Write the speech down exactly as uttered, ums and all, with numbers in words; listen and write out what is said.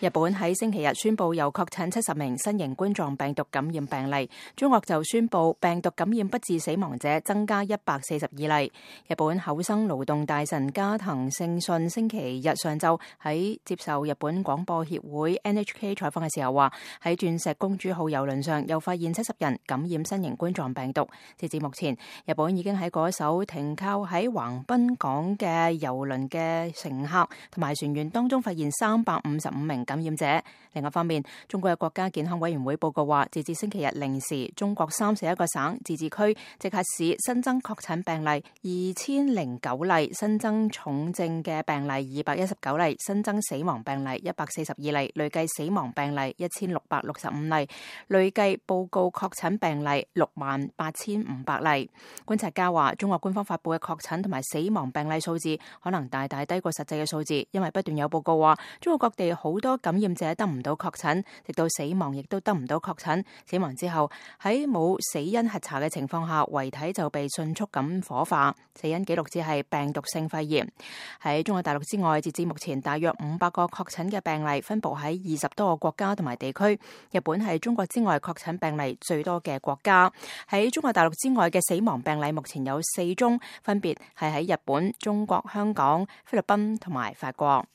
日本喺星期日宣布又確診七十名新型冠狀病毒感染病例，中國就宣布病毒感染不治死亡者增加一百四十二例。日本厚生勞動大臣加藤勝信星期日上晝喺接受日本廣播協會 N H K 採訪嘅時候話，喺鑽石公主號郵輪上又發現七十人感染新型冠狀病毒。截至目前，日本已經喺嗰艘停靠喺橫濱港嘅郵輪嘅乘客同埋船員當中發現三百五十五名感染者。另一方面，中國嘅國家健康委員會報告話，截至星期日零時，中國三十一個省、自治區、直轄市新增確診病例二千零九例，新增重症嘅病例二百一十九例，新增死亡病例一百四十二例，累計死亡病例一千六百六十五例，累計報告確診病例六萬八千五百例。觀察家話，中國官方發布嘅確診同埋死亡病例數字可能大大低過實際嘅數字，因為不斷有報告話，中國各地好多感染者得唔到確診，直到死亡亦都得唔到確診。死亡之後喺冇死因核查嘅情況下，遺體就被迅速咁火化，死因記錄只係病毒性肺炎。喺中國大陸之外，截至目前大約五百個確診嘅病例分布喺二十多個國家同埋地區。日本係中國之外確診病例最多嘅國家。喺中國大陸之外嘅死亡病例目前有四宗，分別係喺日本、中國、香港、菲律賓同埋法國。